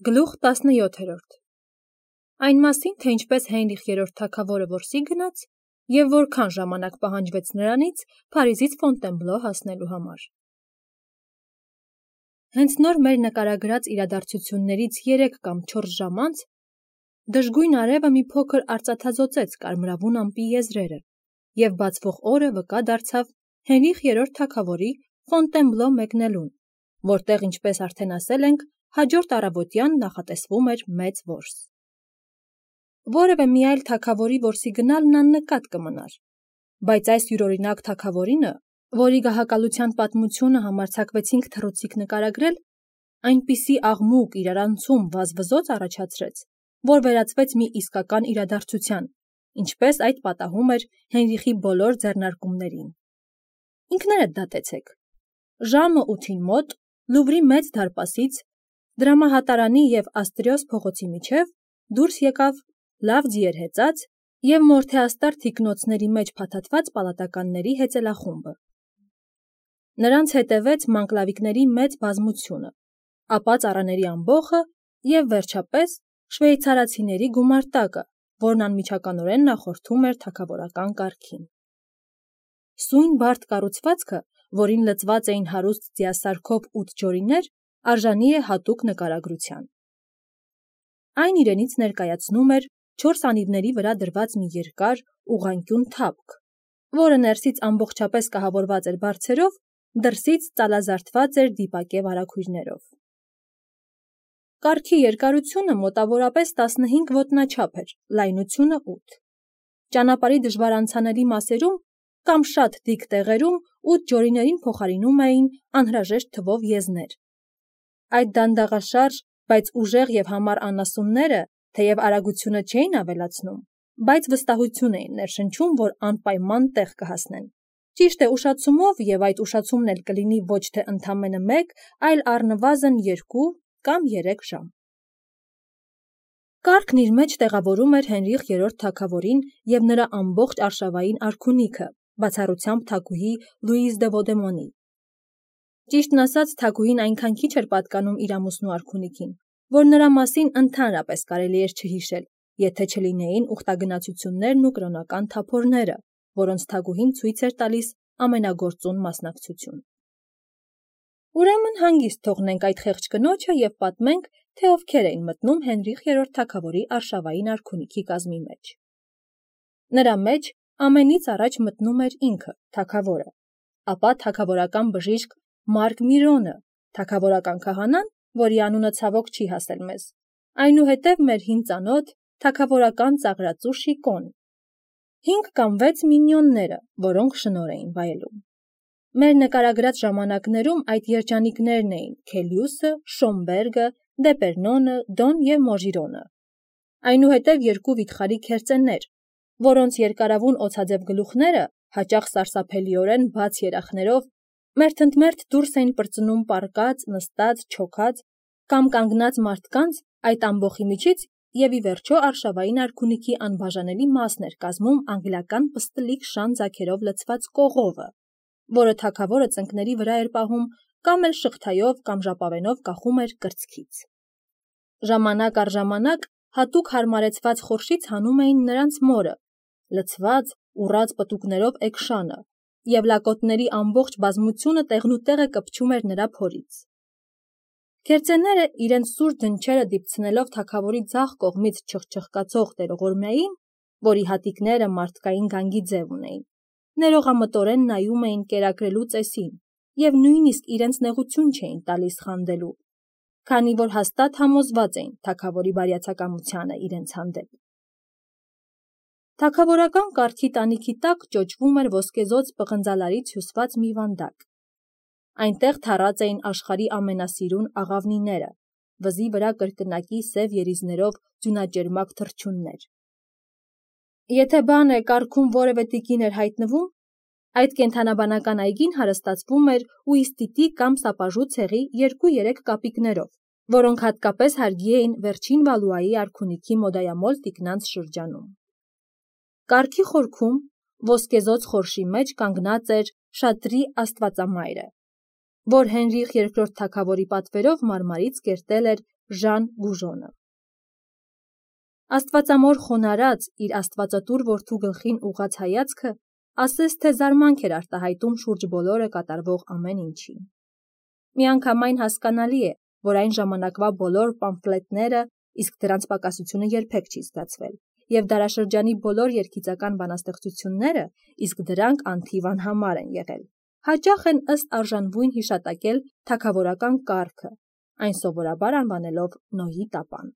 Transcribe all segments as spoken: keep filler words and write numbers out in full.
Գլուխ տասնյոթերորդ Այն մասին, թե ինչպես Հենրիխ երրորդ թագավորը որսի գնաց և որքան ժամանակ պահանջվեց նրանից Փարիզից Ֆոնտենբլո հասնելու համար։ Հենց նոր մեր նկարագրած իրադարձություններից երեք կամ չորս ժամ անց դժգույն արևը մի փոքր արծաթազօծեց կարմրավուն ամպի եզրերը, և բացվող օրը վկա դարձավ Հենրիխ երրորդ թագավորի Ֆոնտենբլո մեկնելուն, որտեղ, ինչպես արդեն ասել ենք, հաջորդ առավոտյան նախատեսվում էր մեծ որս։ Որևէ մի այլ թագավորի որսի գնալն աննկատ կմնար, բայց այս յուրօրինակ թագավորինը, որի գահակալության պատմությունը համարձակվեցինք թռուցիկ նկարագրել, այնպիսի աղմուկ, իրարանցում, վազվզոց առաջացրեց, որ վերածվեց մի իսկական իրադարձության, ինչպես այդ պատահում էր Հենրիխի բոլոր ձեռնարկումներին։ Ինքներդ դատեցեք։ Ժամը ութին մոտ Լուվրի մեծ դարպասից, դրամահատարանի և Աստրիոս փողոցի միջև դուրս եկավ լավ ձիեր հեծած և մորթեաստար թիկնոցների մեջ փաթաթված պալատականների հեծելախումբը։ Նրանց հետևեց մանկլավիկների մեծ բազմությունը, ապա ծառաների ամբոխը և, վերջապես, շվեյցարացիների գումարտակը, որն անմիջականորեն նախորդում էր թագավորական կարգին։ Սույն բարդ կառուցվածքը, որին լցված էին հարուստ ձիասարքով ութ ջորիներ, արժանի է հատուկ նկարագրության։ Այն իրենից ներկայացնում էր չորս անիվների վրա դրված մի երկար, ուղղանկյուն թափք, որը ներսից ամբողջապես կահավորված էր բարձերով, դրսից ծալազարդված էր դիպակե վարագույրներով։ Կառքի երկարությունը մոտավորապես տասնհինգ ոտնաչափ էր, լայնությունը ութ։ Ճանապարհի դժվարանցանելի մասերում կամ շատ դիք տեղերում ութ ջորիներին փոխարինում էին անհրաժեշտ թվով եզներ։ Այդ դանդաղաշարժ, բայց ուժեղ և համառ անասունները, թեև արագությունը չէին ավելացնում, բայց վստահություն էին ներշնչում, որ անպայման տեղ կհասնեն։ Ճիշտ է, ուշացումով, և այդ ուշացումն էլ կլինի ոչ թե ընդամենը մեկ, այլ առնվազն երկու կամ երեք ժամ։ Կառքն իր մեջ տեղավորում էր Հենրիխ երրորդ թագավորին և նրա ամբողջ արշավային արքունիքը, բացառությամբ թագուհի Լուիզ դե Վոդեմոնի։ Ճիշտն ասած, թագուհին այնքան քիչ էր պատկանում իր ամուսնու արքունիքին, որ նրա մասին ընդհանրապես կարելի էր չհիշել, եթե չլինեին ուխտագնացություններն ու կրոնական թափորները, որոնց թագուհին ցույց էր տալիս ամենագործուն մասնակցություն։ Ուրեմն հանգիստ թողնենք այդ խեղճ կնոջը և պատմենք, թե ովքեր էին մտնում Հենրիխ երրորդ թագավորի արշավային արքունիքի կազմի մեջ։ Նրա մեջ ամենից առաջ մտնում էր ինքը, թագավորը, ապա թագավորական բժիշկ Մարկ Միրոնը, թագավորական քահանան, որի անունը ցավոք չի հասել մեզ, այնուհետև մեր հին ծանոթ, թագավորական ծաղրածու Շիկոն, հինգ կամ վեց մինիոնները, որոնք շնորհ էին վայելում։ Մեր նկարագրած ժամանակներում այդ երջանիկներն էին Քելիուսը, Շոմբերգը, Դեպերնոնը, Դոն և Մոժիրոնը, այնուհետև երկու վիթխարի քերծեններ, որոնց երկարավուն օձաձև գլուխները, հաճախ սարսափելիորեն բաց երախներով, մերթընդմերթ դուրս էին պրծնում պառկած, նստած, չոքած կամ կանգնած մարդկանց այդ ամբոխի միջից և, ի վերջո, արշավային արքունիքի անբաժանելի մասն էր կազմում անգլիական պստլիկ շան ձագերով լցված կողովը, որը թագավորը ծնկների վրա էր պահում կամ էլ շղթայով կամ ժապավենով կախում էր կրծքից։ Ժամանակ առ ժամանակ հատուկ հարմարեցված խորշից հանում էին նրանց մորը, լցված, ուռած պտուկներով էգշանը, և լակոտների ամբողջ բազմությունը տեղնուտեղը կպչում էր նրա փորից։ Քերծեները իրենց սուր դնչերը դիպցնելով թագավորի ձախ կողմից չխչխկացող տերողորմյային, որի հատիկները մարդկային գանգի ձև ունեին, ներողամտորեն նայում էին կերակրելու ծեսին և նույնիսկ իրենց նեղություն չէին տալիս խանդելու, քանի որ հաստատ համոզված էին թագավորի բարյացակամությանը իրենց հանդեպ։ Թագավորական կառքի տանիքի տակ ճոճվում էր ոսկեզօծ պղնձալարից հյուսված մի վանդակ։ Այնտեղ թառած էին աշխարհի ամենասիրուն աղավնիները, վզի վրա կրկնակի սև երիզներով ձյունաճերմակ թռչուններ։ Եթե բան է, կառքում որևէ տիկին էր հայտնվում, այդ կենդանաբանական այգին հարստացվում էր ուիստիտի կամ սապաժու ցեղի երկու-երեք կապիկներով, որոնք հատկապես հարգի էին վերջին Վալուայի արքունիքի մոդայամոլ տիկնանց շրջանում։ Կառքի խորքում, ոսկեզօծ խորշի մեջ կանգնած էր Շատրի աստվածամայրը, որ Հենրիխ երկրորդ թագավորի պատվերով մարմարից կերտել էր Ժան Գուժոնը։ Աստվածամոր խոնարհած իր աստվածատուր որդու գլխին ուղղած հայացքը ասես թե զարմանք էր արտահայտում շուրջ բոլորը կատարվող ամեն ինչին։ Միանգամայն հասկանալի է, որ այն ժամանակվա բոլոր պամֆլետները, իսկ դրանց պակասությունը երբեք չի զգացվել, և դարաշրջանի բոլոր երգիծական բանաստեղծությունները, իսկ դրանք անթիվ անհամար են եղել, հաճախ են ըստ արժանվույն հիշատակել թագավորական կարգը, այն սովորաբար անվանելով Նոյի տապան։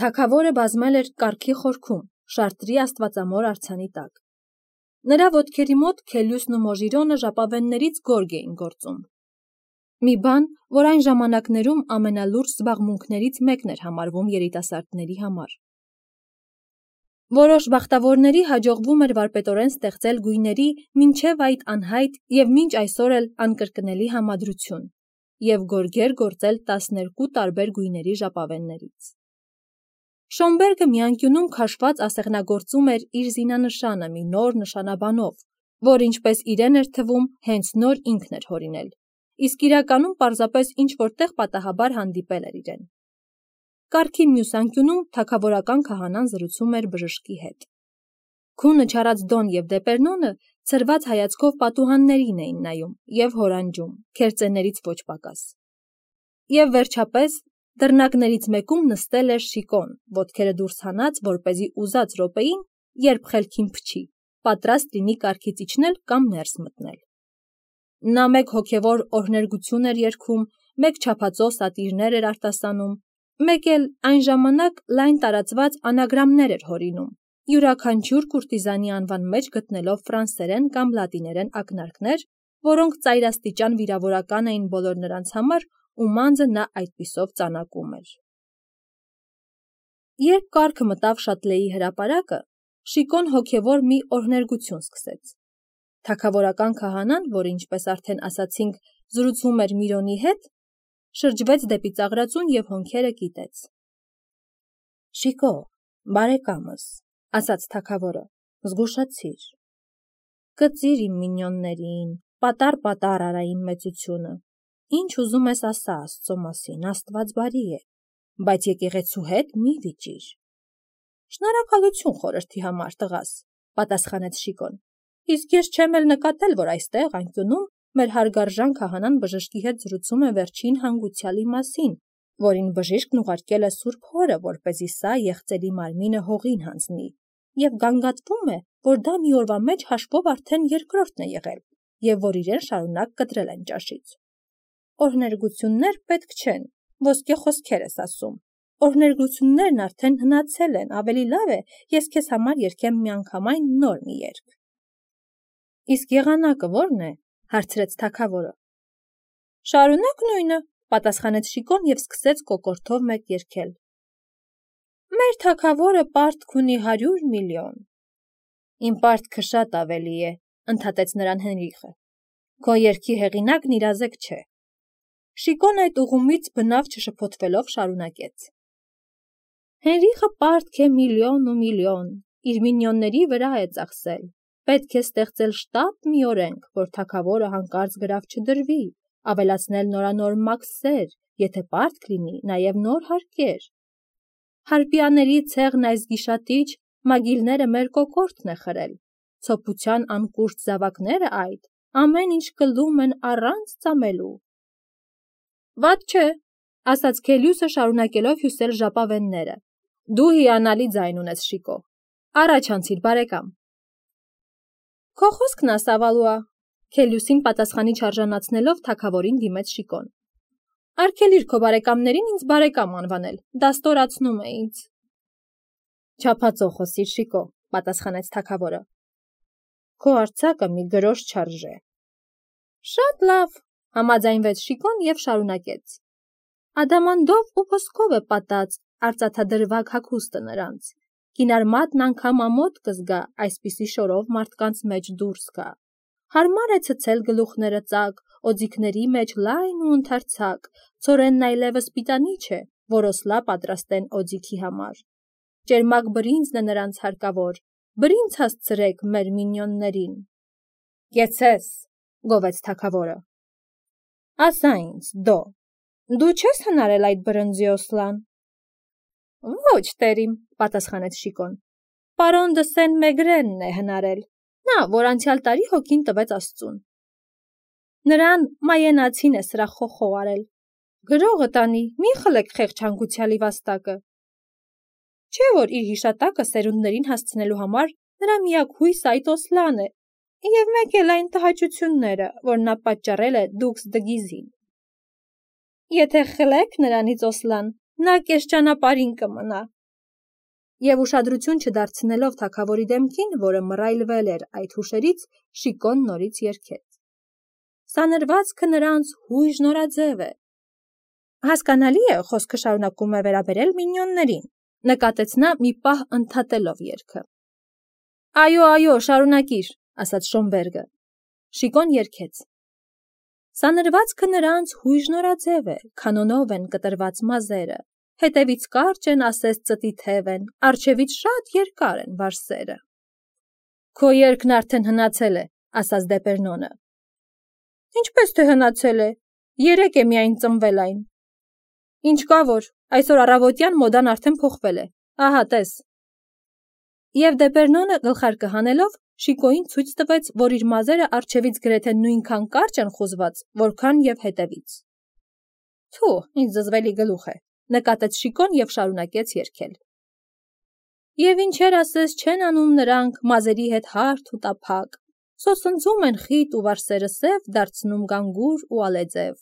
Թագավորը բազմել էր կարգի խորքում, Շարտրի աստվածամոր արձանի տակ։ Նրա ոտքերի մոտ Քելյուսն ու Մոժիրոնը ժապավեններից գորգ էին գործում։ Մի բան, որ այն ժամանակներում ամենալուրջ զբաղմունքներից մեկն էր համարվում երիտասարդների համար։ Որոշ բախտավորների հաջողվում էր վարպետորեն ստեղծել գույների մինչև այդ անհայտ և մինչ այսօր էլ անկրկնելի համադրություն և գորգեր գործել տասներկու տարբեր գույների ժապավեններից։ Շոմբերգը մի անկյունում քաշված ասեղնագործում էր իր զինանշանը մի նոր նշանաբանով, որ ինչպես իրեն էր թվում, հենց նոր ինքն էր հորինել, իսկ իրականում պարզապես ինչ-որ տեղ պատահաբար հանդիպել էր իրեն։ Կառքի մյուս անկյունում թագավորական քահանան զրուցում էր բժշկի հետ։ Քունը չարած Դոն և Դեպերնոնը ցրված հայացքով պատուհաններին էին նայում և հորանջում, քերծեներից ոչ պակաս։ Եվ վերջապես դռնակներից մեկում նստել էր Շիկոն, ոտքերը դուրս հանած, որպեսզի ուզած րոպեին, երբ խելքին փչի, պատրաստ լինի կառքից իջնել կամ ներս մտնել։ Նա մեկ հոգևոր օրհներգություն էր երգում, մեկ չափածո սատիրներ էր արտասանում, մեկ էլ այն ժամանակ լայն տարածված անագրամներ էր հորինում, յուրաքանչյուր կուրտիզանի անվան մեջ գտնելով ֆրանսերեն կամ լատիներեն ակնարկներ, որոնք ծայրաստիճան վիրավորական էին բոլոր նրանց համար, ում անձը նա այդպիսով ծանակում էր։ Երբ կառքը մտավ Շատլեի հրապարակը, Շիկոն հոգևոր մի օրհներգություն սկսեց։ Թագավորական քահանան, որ ինչպես արդեն ասացինք, զրուցում էր Միրոնի հետ, շրջվեց դեպի ծաղրածուն և հոնքերը կիտեց։ Շիկո, բարեկամս, ասաց թագավորը, զգուշացիր։ Կծիր իմ մինյոններին, պատառ-պատառ արային մեծությունը, ինչ ուզում ես ասա Աստծո մասին, Աստված բարի է, բայց եկեղեցու հետ մի վիճիր։ Շնորհակալություն խորհրդի համար, տղաս, պատասխանեց Շիկոն, իսկ ես չեմ էլ նկատել, որ այստեղ անկյունում մեր հարգարժան քահանան բժշկի հետ զրուցում է վերջին հանգուցյալի մասին, որին բժիշկն ուղարկել է Սուրբ Հորը, որպեսզի սա եղծելի մարմինը հողին հանձնի, և գանգատվում է, որ դա մի օրվա մեջ հաշվով արդեն երկրորդն է եղել, և որ իրեն շարունակ կտրել են ճաշից։ Օրհներգություններ պետք չեն, ոսկե խոսքեր ես ասում, օրհներգություններն արդեն հնացել են, ավելի լավ է, ես քեզ համար երգեմ միանգամայն նոր մի երգ։ Իսկ եղանակը ո՞րն է, հարցրեց թագավորը։ Շարունակ նույնը, պատասխանեց Շիկոն և սկսեց կոկորդով մեկ երգել։ Մեր թագավորը պարտք ունի հարյուր միլիոն։ Իմ պարտքը շատ ավելի է, ընդհատեց նրան Հենրիխը։ Քո երգի հեղինակն իրազեկ չէ։ Շիկոն այդ ուղումից բնավ չշփոթվելով շարունակեց։ Հենրիխը պարտք է միլիոն ու միլիոն, իր մինյոնների վրա է ծախսել։ Պետք է ստեղծել շտապ մի օրենք, որ թագավորը հանկարծ գրավ չդրվի, ավելացնել նորանոր մաքսեր, եթե պարտք լինի, նաև նոր հարկեր։ Հարպիաների ցեղն այս գիշատիչ մագիլները մեր կոկորդն է խրել, ցոփության անկուրց զավակները այդ, ամեն ինչ կլում են առանց ծամելու։ Վատ չէ, ասաց Քելյուսը շարունակելով հյուսել ժապավենները, դու հիանալի ձայն ունես, Շիկո, առաջ անցիր, բարեկամ։ Քո խոսքն ասավալուա, Քելյուսին պատասխանի չարժանացնելով թագավորին դիմեց Շիկոն։ Արգելիր քո բարեկամներին ինձ բարեկամ անվանել, դա ստորացնում է ինձ։ Չափածո խոսիր, Շիկո, պատասխանեց թագավորը։ Քո արձակը մի գրոշ չարժե։ Շատ լավ, համաձայնվեց Շիկոն և շարունակեց։ Ադամանդով ու ոսկով է պատած արծաթադրվակ հագուստը նրանց, կինարմատն անգամ ամոթ կզգա այսպիսի շորով մարդկանց մեջ դուրս գա։ Հարմար է ցցել գլուխները ծակ, օձիքների մեջ լայն ու ընդարձակ, ցորենն այլևս պիտանի չէ, որոսլա պատրաստեն օձիքի համար։ Ճերմակ բրինձն է նրանց հարկավոր, բրինձ հասցրեք մեր մինյոններին։ Կեցես, գովեց թագավորը։ Ասա ինձ, Դո, Դու չես հնարել այդ բրնձի Օսլան։ Ոչ, տերիմ, պատասխանեց Շիկոն։ Պարոն դը Սեն-Մեգրենն է հնարել, նա, որ անցյալ տարի հոգին տվեց Աստծուն։ Նրան մայենացին է սրա խոխող արել։ Գրողը տանի, մի խլեք խեղճանկությալի վաստակը։ Չէ՞ որ իր հիշատակը սերունդներին հասցնելու համար նրա միակ հույսը այդ Օսլան է, և մեկ էլ այն տհաճությունները, որ նա պատճառել է դուքս դգիզին։ Եթե խլեք նրանից Օսլան, նա կես ճանապարհին կմնա։ Եվ ուշադրություն չդարձնելով թագավորի դեմքին, որը մռայլվել էր այդ հուշերից, Շիկոն նորից երգեց. Սա նրվածքը նրանց հույժ նորաձև է։ Հասկանալի է, խոսքը շարունակում է վերաբերել մինյոններին, նկատեց նա մի պահ ընդհատելով երգը։ Այո, այո, շարունակիր, ասաց Շոմբերգը։ Շիկոն երգեց. Սա նրվածքը նրանց հույժ նորաձև է, քանոնով են կտրված մազերը, հետևից կարճ են, ասես ծտի թև են, առջևից շատ երկար են վարսերը։ Քո երգն արդեն հնացել է, ասաց Դեպերնոնը։ Ինչպես թե հնացել է, երեկ է միայն ծնվել այն։ Ինչ կա որ, այսօր առավոտյան մոդան արդեն փոխվել է, ահա տես։ Եվ Դեպերնոնը գլխարկը հանելով Շիկոյին ցույց տվեց, որ իր մազերը առջևից գրեթե նույնքան կարճ են խուզված, որքան և հետևից։ Թու, ինչ զզվելի գլուխ է, նկատեց Շիկոն և շարունակեց երգել։ Եվ ինչեր ասես չեն անում նրանք մազերի հետ հարթ ու տափակ, սոսնձում են խիտ ու վարսերը սև, դարձնում գանգուր ու ալեձև,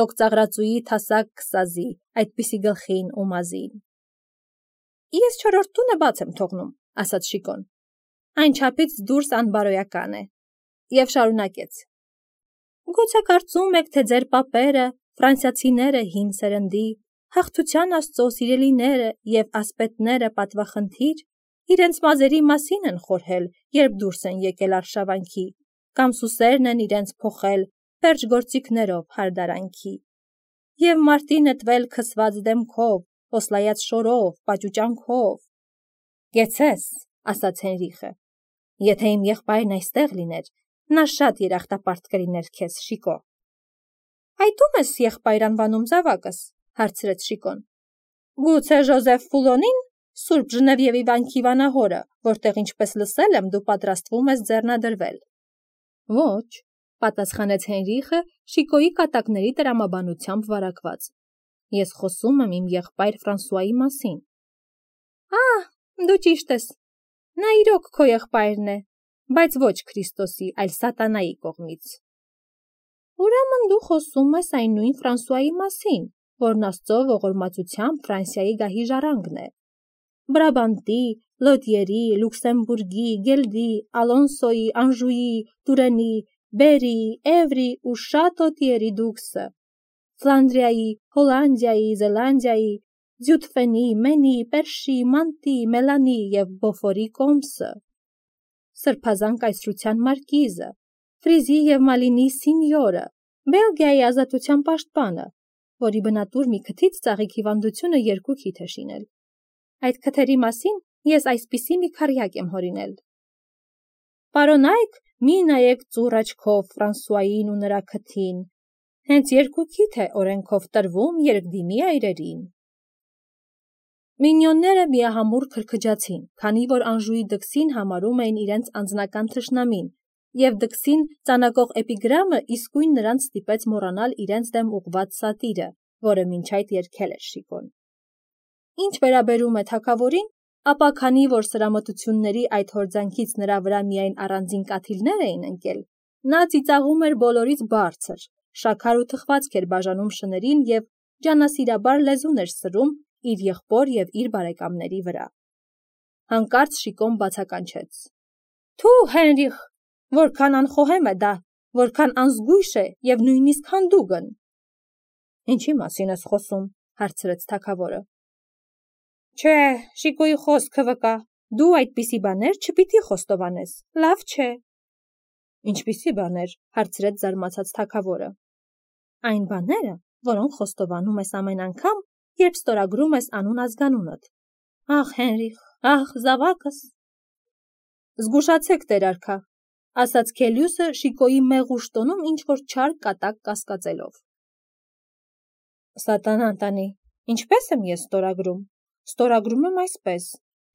լոկծաղրածուի թասակ քսազի, այդպիսի գլխին ու մազին։ Ես չորրորդ տունը բաց եմ թողնում, ասաց Շիկոն, այն չափից դուրս անբարոյական է, և շարունակեց. Գուցե կարծում եք, թե ձեր պապերը, ֆրանսիացիները հին սերնդի, հաղթության Աստծո սիրելիները և ասպետները պատվախնդիր, իրենց մազերի մասին են խորհել, երբ դուրս են եկել արշավանքի, կամ սուսերն են իրենց փոխել պերճ գործիքներով հարդարանքի, և մարտի նետվել քսված դեմքով, օսլայած շորով, պաճուճանքով։ Գեցես, ասաց Հենրիխը, եթե իմ եղբայրն այստեղ լիներ, նա շատ երախտապարտ կլիներ քեզ, Շիկո։ Այդ ո՞ւմ ես եղբայր անվանում զավակս, հարցրեց Շիկոն։ Գուցե Ժոզեֆ Ֆուլոնին, Սուրբ Ժնևիևի վանքի վանահորը, որտեղ ինչպես լսել եմ, դու պատրաստվում ես ձեռնադրվել։ Ոչ, պատասխանեց Հենրիխը Շիկոյի կատակների տրամաբանությամբ վարակված։ Ես խոսում եմ իմ եղբայր Ֆրանսուայի մասին։ Ահ, դու ճիշտ ես։ Նա իրոք քո եղբայրն է, բայց ոչ Քրիստոսի, այլ սատանայի կողմից։ Ուրեմն դու խոսում ես այն նույն Ֆրանսուայի մասին, որն Աստծո ողորմածությամբ Ֆրանսիայի գահի ժառանգն է։ Բրաբանտի, Լոտիերի, Լյուքսեմբուրգի, Գելդի, Ալոնսոյի, Անժուի, Տուրենի, Բերի, Էվրի ու շատ օտիերի դուքսը, Ֆլանդրիայի, Հոլանդիայի, Զելանդիայի, Ձյուտֆենի, Մենի, Պերշի, Մանտի, Մելանի և Բոֆորի կոմսը, Սրբազան կայսրության մարկիզը, Ֆրիզի և Մալինի սինյորը, Բելգիայի ազատության պաշտպանը, որի բնատուր մի քթից ծաղիկ հիվանդությունը երկու քիթ է շինել։ Այդ քթերի մասին ես այսպիսի մի քառյակ եմ հորինել։ Պարոն Այք, մի նայեք ծուռ աչքով Ֆրանսուային ու նրա քթին, հենց երկու քիթ է օրենքով տրվում երկդիմի այրերին։ Մինյոնները միահամուռ քրքջացին, քանի որ Անժուի դքսին համարում էին իրենց անձնական թշնամին, և դքսին ծանակող էպիգրամը իսկույն նրանց ստիպեց մոռանալ իրենց դեմ ուղղված սատիրը, որը մինչ այդ երգել էր Շիկոն։ Ինչ վերաբերում է թագավորին, ապա քանի որ սրամտությունների այդ հորձանքից նրա վրա միայն առանձին կաթիլներ էին ընկել, նա ծիծաղում էր բոլորից բարձր, շաքար ու թխվածք էր բաժանում շներին և ջանասիրաբար լեզուն էր սրում իր եղբոր և իր բարեկամների վրա։ Հանկարծ Շիկոն բացականչեց. Թու, Հենրիխ, որքան անխոհեմ է դա, որքան անզգույշ է և նույնիսկ հանդուգն։ Ինչի մասին ես խոսում, հարցրեց թագավորը։ Չէ, Շիկոյի խոսքը վկա, դու այդպիսի բաներ չպիտի խոստովանես, լավ չէ։ Ինչպիսի բաներ, հարցրեց զարմացած թագավորը։ Այն բաները, որոնք խոստովանում ես ամեն անգամ, երբ ստորագրում ես անուն ազգանունդ։ Ախ, Հենրիխ, ախ, զավակս։ Զգուշացեք, տեր արքա, ասաց Քելյուսը Շիկոյի մեղուշ տոնում ինչ-որ չար կատակ կասկածելով։ Սատանան տանի, ինչպես եմ ես ստորագրում։ Ստորագրում եմ այսպես.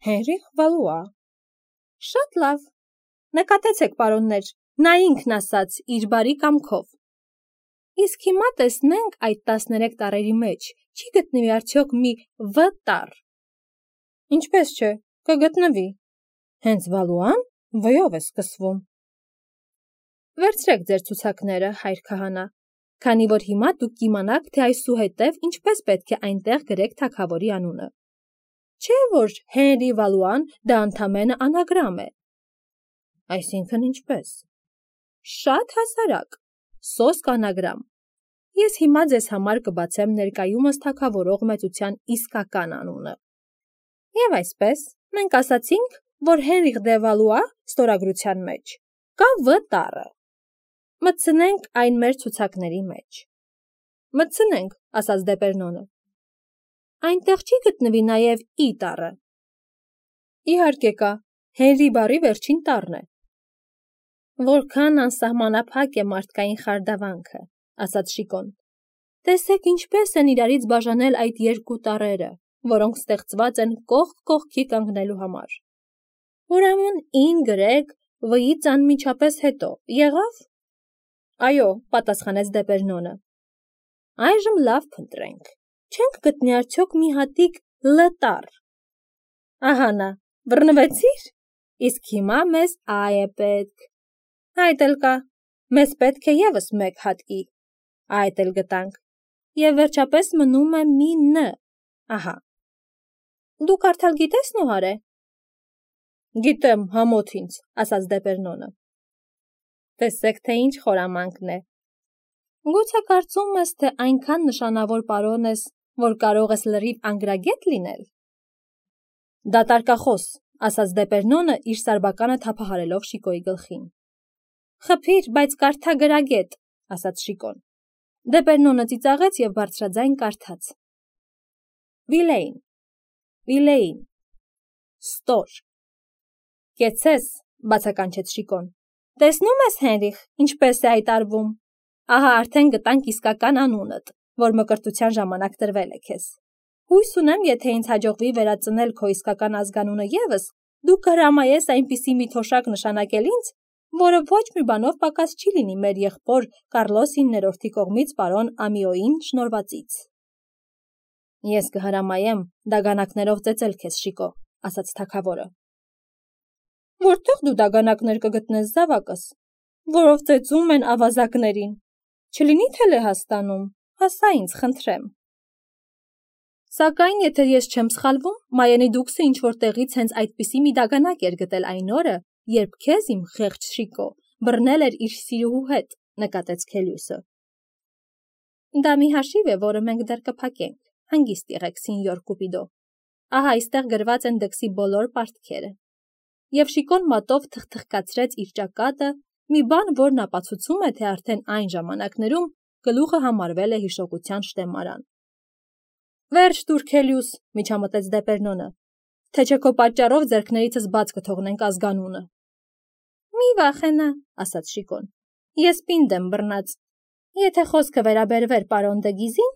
Հենրիխ Վալուա։ Շատ լավ։ Նկատեցեք, պարոններ, նա ինքն ասաց իր բարի կամքով։ Իսկ հիմա տեսնենք այդ տասներեք տառերի մեջ չի գտնվի արդյոք մի «V» տառ։ Ինչպես չէ, կգտնվի։ Հենց Վալուան V-ով է սկսվում։ Վերցրեք ձեր ցուցակները, հայր քահանա, քանի որ հիմա դուք կիմանաք, թե այսուհետև ինչպես պետք է այնտեղ գրեք թագավորի անունը։ Չէ՞ որ Հենրի Վալուան դա ընդամենը անագրամ է։ Այսինքն ինչպես։ Շատ հասարակ, սոսկ անագրամ։ Ես հիմա ձեզ համար կբացեմ ներկայումս թագավորող մեծության իսկական անունը։ Եվ այսպես, մենք ասացինք, որ Հենրիխ դե Վալուա ստորագրության մեջ կա V տառը։ Մտցնենք այն մեր ցուցակների մեջ։ Մտցնենք, ասաց Դեպերնոնը։ Այնտեղ չի գտնվի նաև I տառը։ Իհարկե կա, Հենրի բառի վերջին տառն է։ Որքան անսահմանափակ է մարդկային խարդավանքը, ասաց Շիկոն։ Տեսեք ինչպես են իրարից բաժանել այդ երկու տառերը, որոնք ստեղծված են կողք կողքի կանգնելու համար։ Ուրեմն I-ն գրեք V-ից անմիջապես հետո, եղավ։ Այո, պատասխանեց Դեպերնոնը։ Այժմ լավ փնտրենք։ Չենք գտնի արդյոք մի հատիկ L տառ։ Ահա նա, բռնվեցիր։ Իսկ հիմա մեզ I է պետք։ Այդ էլ կա։ Մեզ պետք է ևս մեկ հատ I։ Այդ էլ գտանք։ Եվ վերջապես մնում է մի N։ Ահա։ Դու կարդալ գիտես, Նոհարե։ Գիտեմ, համոթ ինձ, ասաց Դեպերնոնը։ Տեսեք, թե ինչ խորամանկն է։ Գուցե կարծում ես, թե այնքան նշանավոր պարոն ես, որ կարող ես լրիվ անգրագետ լինել։ Դատարկախոս, ասաց Դեպերնոնը իր սարբականը թափահարելով Շիկոյի գլխին։ Խփիր, բայց կարդա գրագետ, ասաց Շիկոն։ Դեպերնոնը ծիծաղեց եւ բարձրաձայն կարդաց. Վիլեին, Վիլեին, ստոր։ Կեցես, բացականչեց Շիկոն։ Տեսնում ես, Հենրիխ, ինչպես է այդ արվում։ Ահա արդեն գտանք իսկական անունդ, որ մկրտության ժամանակ տրվել է քեզ։ Հույս ունեմ, եթե ինձ հաջողվի վերածնել քո իսկական ազգանունը եւս, դու կհրամայես այնպիսի մի թոշակ նշանակել ինձ, որը ոչ մի բանով պակաս չի լինի մեր եղբոր Կարլոս իններորդի կողմից պարոն Ամիոին շնորհվածից։ Ես կհրամայեմ դագանակներով ծեծել քեզ, Շիկո, ասաց թագավորը։ Որտեղ դու դագանակներ կգտնես, զավակս, որով ծեծում են ավազակներին։ Չլինի թե Լեհաստանում, հասա ինձ, խնդրեմ։ Սակայն, եթե ես չեմ սխալվում, Մայենի դուքսը ինչ-որ տեղից հենց այդպիսի մի դագանակ էր գտել այն օրը, երբ քեզ իմ խեղճ Շիկո բռնել էր իր սիրուհու հետ, նկատեց Քելիուսը։ Դա մի հաշիվ է, որը մենք դեռ կփակենք, հանգիստ եղեք, սինյոր Կուպիդո։ Ահա այստեղ գրված են դքսի բոլոր պարտքերը։ Եվ Շիկոն մատով թխթխկացրեց իր ճակատը, մի բան, որն ապացուցում է, թե արդեն այն ժամանակներում գլուխը համարվել է հիշողության շտեմարան։ Վերջ տուր, Քելիուս, միջամտեց Դեպերնոնը, թե չէ քո պատճառով ձեռքներիցս բաց կթողնենք ազգանունը։ Մի վախենա, ասաց Շիկոն, ես պինդ եմ բռնած։ Եթե խոսքը վերաբերվեր պարոն Դեգիզին,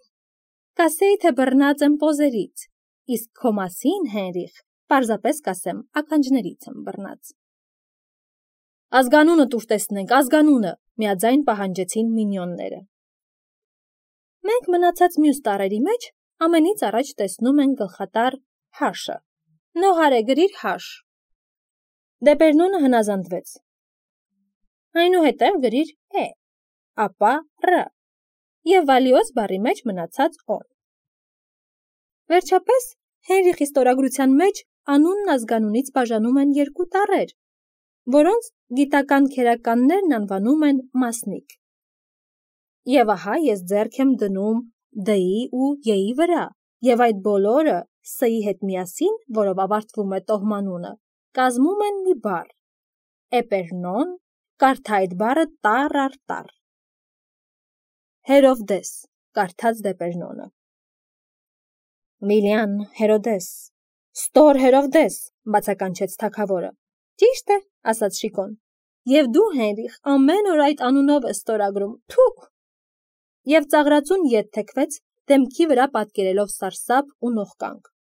կասեի, թե բռնած եմ պոզերից, իսկ քո մասին, Հենրիխ, պարզապես կասեմ, ականջներից եմ բռնած։ Ազգանունը տուր տեսնենք, ազգանունը, միաձայն պահանջեցին մինյոնները։ Մենք մնացած մյուս տառերի մեջ ամենից առաջ տեսնում են գլխատառ հաշը։ Նոհարե գրիր հաշ։ Դեպերնոնը հնազանդվեց։ Այնուհետև գրիր է, ապա ռ, եւ վալիոս բառի մեջ մնացած օն։ Վերջապես Հենրիխի ստորագրության մեջ անունն ազգանունից բաժանում են երկու տառեր, որոնց գիտական քերականներն անվանում են մասնիկ։ Եվ ահա ես ձեռք եմ դնում D-ի ու Y-ի վրա, եւ այդ բոլորը S-ի հետ միասին, որով ավարտվում է տոհմանունը, կազմում են մի բառ։ Էպերնոն, կարդա այդ բառը տառ առ տառ։ Հերովդես, կարդաց Դեպերնոնը։ Միլիան Հերոդես, ստոր Հերովդես, բացականչեց թագավորը։ Ճիշտ է, ասաց Շիկոն։ Եվ դու, Հենրիխ, ամեն օր այդ անունով ես ստորագրում, թու։ Եվ ծաղրածուն ետ թեքվեց, դեմքի վրա պատկերելով սարսափ ու նողկանք։